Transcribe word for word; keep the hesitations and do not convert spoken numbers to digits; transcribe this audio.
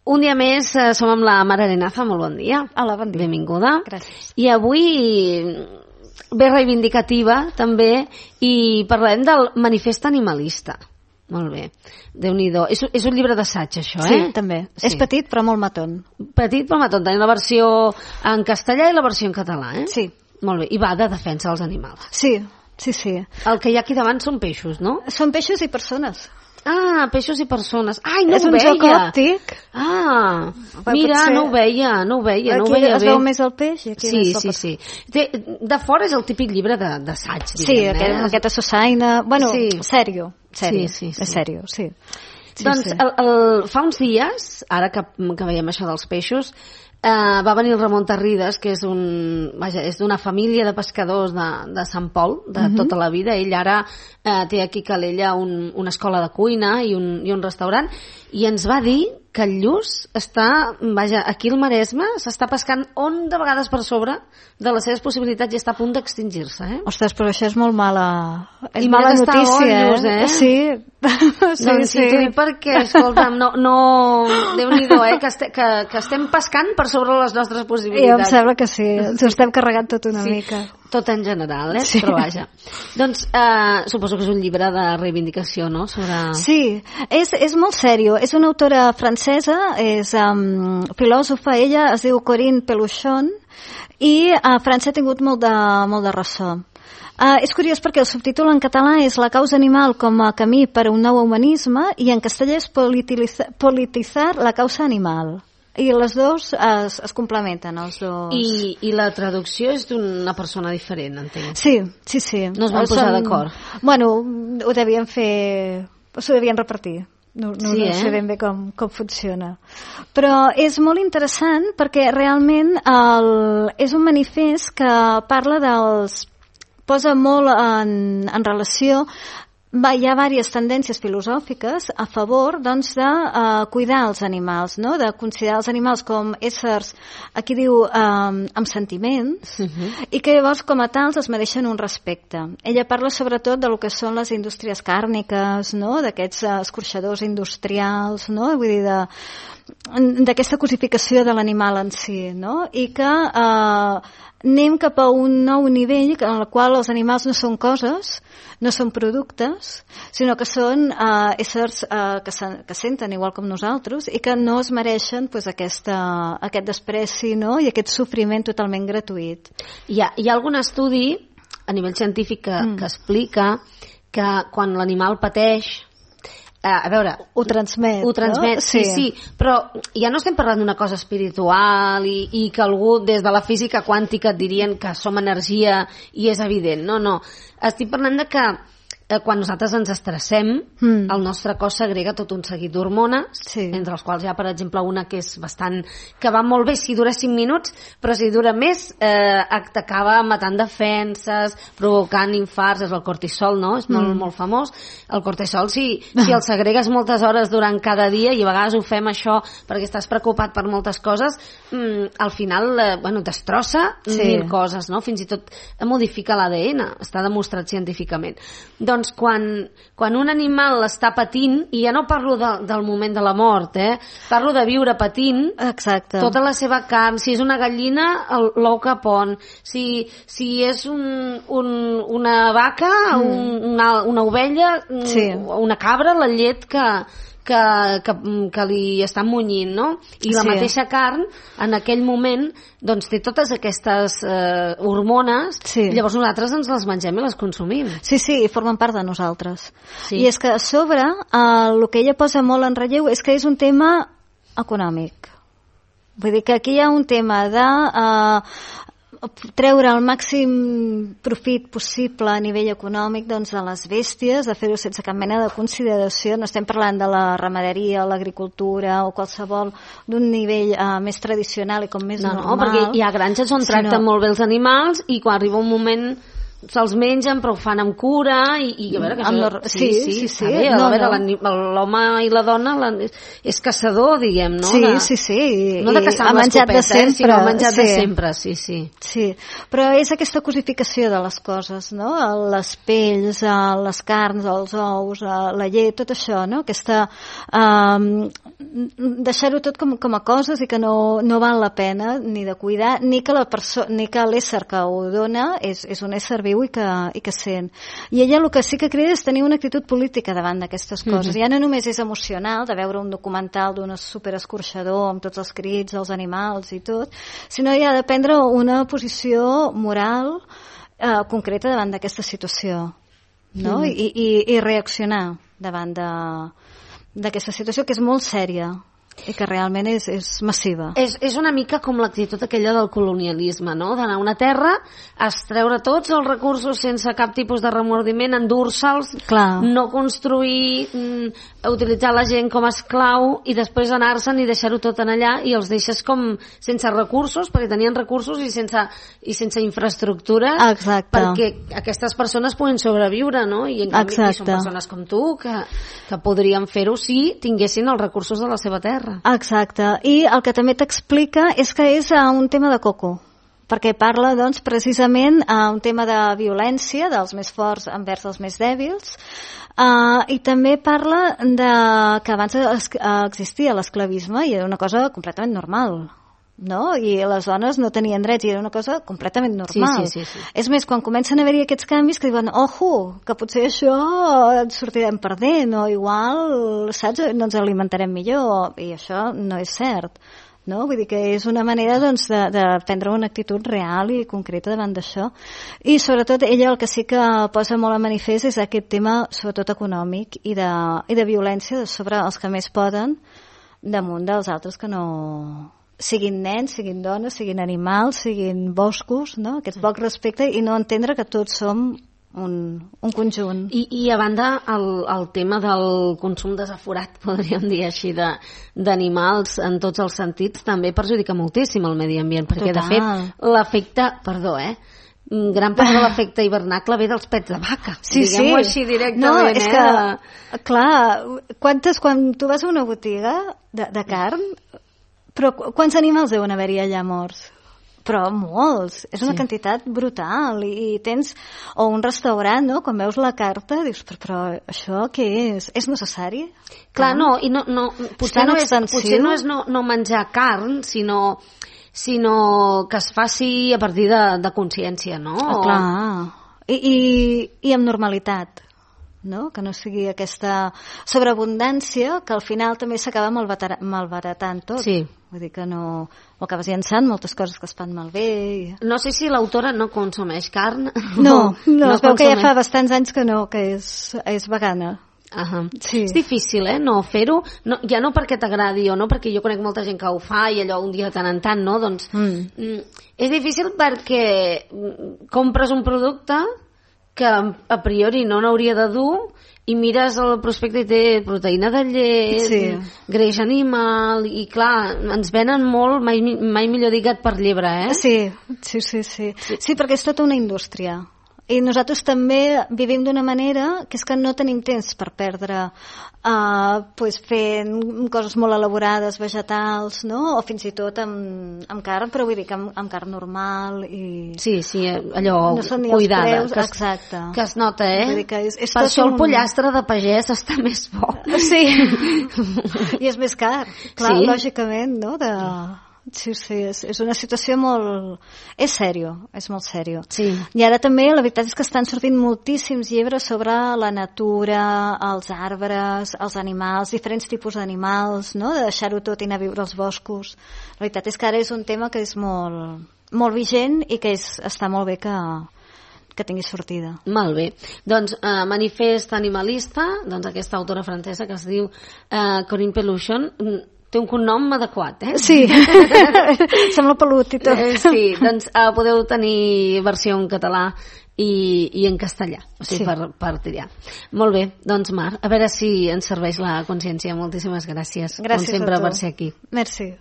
Un dia més eh, som amb la Mar Arenaza, molt bon dia. Hola, bon dia. Benvinguda. Gràcies. I avui ve reivindicativa també i parlarem del manifest animalista. Molt bé, Déu-n'hi-do. És, és un llibre d'assaig, això, Sí, eh? també. Sí. És petit però molt maton. Petit però maton. Tenim la versió en castellà i la versió en català, eh? Sí. Molt bé. I va de defensa dels animals. Sí, sí, sí. El que hi ha aquí davant són peixos, no? Són peixos i persones. Ah, peixos i persones. Ai, no és ho un veia. joc òptic. Ah, Però mira, potser- no ho veia, no ho veia, no ho Aquí veia es bé. veu més el peix i aquí Sí, més el sí, per- sí. Té, de fora és el típic llibre de- d'assaig, Sí, diguem, aquest, eh? aquesta Sussaina... Bueno, Sí. sèrio. Sèrio. Sí, sí, sí. És sèrio, sí. sí Doncs sí. el, el, fa uns dies, ara que, que veiem això dels peixos, eh, va venir el Ramon Tarrides, que és un, vaja, és d'una família de pescadors de, de Sant Pol, de Mhm. tota la vida. Ell ara eh, té aquí a Calella un, una escola de cuina i un, i un restaurant, i ens va dir que el lluç està, vaja, aquí al Maresme s'està pescant on de vegades per sobre de les seves possibilitats i està a punt d'extingir-se, eh? Ostres, però això és molt mala... És I mira mala que està notícia, bo el lluç, eh? Sí. sí, Doncs sí, sí. t'ho dic perquè, escolta'm, no, no, Déu-n'hi-do, eh, que, este, que, que estem pescant per sobre les nostres Jo em possibilitats. sembla que sí. Ens ho estem carregant tot una Sí. mica. Tot en general, eh? Sí. Però vaja. Doncs eh, suposo que és un llibre de reivindicació, no? Sobre... Sí, és, és molt sèrio. És una autora francesa, és um, filòsofa, ella es diu Corinne Peluchon, i a França ha tingut molt de, molt de ressò. Uh, és curiós perquè el subtítol en català és La causa animal com a camí per a un nou humanisme i en castellà és Politiza, Politizar la causa animal. I les dos es, es complementen, els dos. I, I la traducció és d'una persona diferent, entenc. Sí, sí, sí. No es van posar d'acord. Bueno, ho devien fer... S'ho devien repartir. No, no, Sí, no eh? sé ben bé com, com funciona. Però és molt interessant perquè realment el, és un manifest que parla dels... posa molt en, en relació... Va, hi ha diverses tendències filosòfiques a favor doncs, de uh, cuidar els animals, no? De considerar els animals com éssers, aquí diu, um, amb sentiments, Uh-huh. i que llavors com a tals es mereixen un respecte. Ella parla sobretot de lo que són les indústries càrniques, no? D'aquests uh, escorxadors industrials, no? Vull dir, de, d'aquesta cosificació de l'animal en si, no? I que uh, anem cap a un nou nivell en el qual els animals no són coses, no són productes, sinó que són uh, éssers uh, que, se, que senten igual com nosaltres i que no es mereixen pues, aquesta, aquest despreci, no? I aquest sofriment totalment gratuït. Hi ha, hi ha algun estudi a nivell científic que, mm. que explica que quan l'animal pateix, eh, a veure... Ho transmet, Ho transmet, no? sí, sí, sí, però ja no estem parlant d'una cosa espiritual i, i que algú des de la física quàntica et dirien que som energia i és evident, no, no. Estic parlant de que eh, quan nosaltres ens estressem, Mm. el nostre cos segrega tot un seguit d'hormones, Sí. entre els quals hi ha, per exemple, una que és bastant... que va molt bé si dura cinc minuts, però si dura més eh, t'acaba matant defenses, provocant infarts, és el cortisol, no? És molt, Mm. molt famós. El cortisol, si, si el segregues moltes hores durant cada dia, i a vegades ho fem això perquè estàs preocupat per moltes coses, mm, al final, eh, bueno, destrossa Sí. mil coses, no? Fins i tot modifica l'A D N, està demostrat científicament. Doncs quan, quan un animal està patint, i ja no parlo de, del moment de la mort, eh? Parlo de viure patint, Exacte. tota la seva carn, si és una gallina, el- l'ou que pon, si, si és un, un, una vaca, mm. un, una, una ovella, mm, Sí. una cabra, la llet que, que, que, que li estan munyint, no? I la Sí. mateixa carn, en aquell moment, doncs té totes aquestes eh, hormones, Sí. i llavors nosaltres ens les mengem i les consumim. Sí, sí, i formen part de nosaltres. Sí. I és que a sobre eh, el que ella posa molt en relleu és que és un tema econòmic. Vull dir que aquí hi ha un tema de eh, treure el màxim profit possible a nivell econòmic doncs, de les bèsties, de fer-ho sense cap mena de consideració. No estem parlant de la ramaderia, l'agricultura o qualsevol d'un nivell eh, més tradicional i com més No, no, normal. perquè hi ha granges on sinó- tracten molt bé els animals i quan arriba un moment se'ls mengen però ho fan amb cura i, i a veure que això... Sí, sí, sí, sí, sí. Bé, no, a veure, no. l'home i la dona la, és caçador, diguem, no? Sí, de, sí, sí. No de caçar amb l'escopeta, eh, sinó menjat sí. de sempre, sí, sí. Sí, però és aquesta cosificació de les coses, no? Les pells, les carns, els ous, la llet, tot això, no? Aquesta... Um, deixar-ho tot com, com a coses i que no, no val la pena ni de cuidar, ni que la perso- ni que l'ésser que ho dona és, és un ésser viu i que, i que sent. I ella el que sí que crida és tenir una actitud política davant d'aquestes coses. Mm-hmm. Ja no només és emocional de veure un documental d'un superescorxador amb tots els crits, els animals i tot, sinó ja de prendre una posició moral eh, concreta davant d'aquesta situació, no? Mm-hmm. I, i, i reaccionar davant de d'aquesta situació que és molt sèria i que realment és, és massiva. És, és una mica com l'actitud aquella del colonialisme, no? D'anar a una terra, extreure tots els recursos sense cap tipus de remordiment, endur-se'ls, no construir, mm, utilitzar la gent com a esclau i després anar-se'n i deixar-ho tot en allà i els deixes com sense recursos, perquè tenien recursos i sense, i sense infraestructura. Exacte. Perquè aquestes persones puguin sobreviure, no? I en canvi són persones com tu que, que podrien fer-ho si tinguessin els recursos de la seva terra. Exacte, i el que també t'explica és que és uh, un tema de coco, perquè parla doncs, precisament uh, un tema de violència dels més forts envers els més dèbils, uh, i també parla de que abans es, uh, existia l'esclavisme i era una cosa completament normal, no? I les dones no tenien drets i era una cosa completament normal. Sí, sí, sí, sí. És més, quan comencen a haver-hi aquests canvis que diuen, ojo, que potser això ens sortirem perdent o igual, saps, no ens alimentarem millor i això no és cert, no? Vull dir que és una manera doncs, de, de prendre una actitud real i concreta davant d'això. I sobretot ella el que sí que posa molt a manifest és aquest tema sobretot econòmic i de, i de violència sobre els que més poden damunt dels altres que no... siguin nens, siguin dones, siguin animals, siguin boscos, no? Aquest poc respecte i no entendre que tots som un, un conjunt. I, i a banda el, el tema del consum desaforat, podríem dir així, de, d'animals en tots els sentits, també perjudica moltíssim el medi ambient, perquè Total. de fet l'efecte, perdó, eh? gran part de l'efecte hivernacle ve dels pets de vaca. Sí, diguem-ho sí. així directament. No, és eh? que, clar, quantes, quan tu vas a una botiga de, de carn, però quants animals deuen haver-hi allà morts? Però molts, és una sí. quantitat brutal i, i tens, o un restaurant, no? Quan veus la carta dius, però, però això què és? És necessari? Clar, no, i no, no potser, no és, potser no és no, no menjar carn, sinó, sinó que es faci a partir de, de consciència, no? Ah, clar, I, i, i amb normalitat, no? Que no sigui aquesta sobreabundància que al final també s'acaba malbaratant tot. Sí. Vull dir que no... O acabes llançant moltes coses que es fan malbé. I... No sé si l'autora no consumeix carn. No, no, no es veu consumeix. que ja fa bastants anys que no, que és, és vegana. Uh-huh. Sí. És difícil, eh, no fer-ho, no, ja no perquè t'agradi o no, perquè jo conec molta gent que ho fa i allò un dia de tant en tant, no? Doncs mm. Mm, és difícil perquè compres un producte que a priori no n'hauria de dur i mires el prospecte i té proteïna de llet, sí. greix animal, i clar, ens venen molt, mai, mai millor dit gat per llebre, eh? Sí, sí, sí, sí. Sí, sí perquè és tota una indústria. I nosaltres també vivim d'una manera que és que no tenim temps per perdre uh, pues fent coses molt elaborades, vegetals, no? O fins i tot amb, amb carn, però vull dir que amb, amb carn normal i... Sí, sí, allò no són ni cuidada, preus, que, es, exacte. que es nota, eh? Vull dir que és, és per això un... el pollastre de pagès està més bo. Sí, i és més car, clar, sí. lògicament, no? De... Sí, sí, és, és una situació molt... És sèrio, és molt sèrio. Sí. I ara també la veritat és que estan sortint moltíssims llibres sobre la natura, els arbres, els animals, diferents tipus d'animals, no? De deixar-ho tot i anar a viure als boscos. La veritat és que ara és un tema que és molt, molt vigent i que és, està molt bé que, que tingui sortida. Molt bé. Doncs eh, Manifest animalista, doncs aquesta autora francesa que es diu eh, Corinne Peluchon, té un cognom adequat, eh? Sí, sembla pelut i tot. Eh, sí, doncs uh, podeu tenir versió en català i, i en castellà, o sigui, sí. per, per triar. Molt bé, doncs Mar, a veure si ens serveix la consciència. Moltíssimes gràcies, gràcies com sempre, per ser aquí. Merci.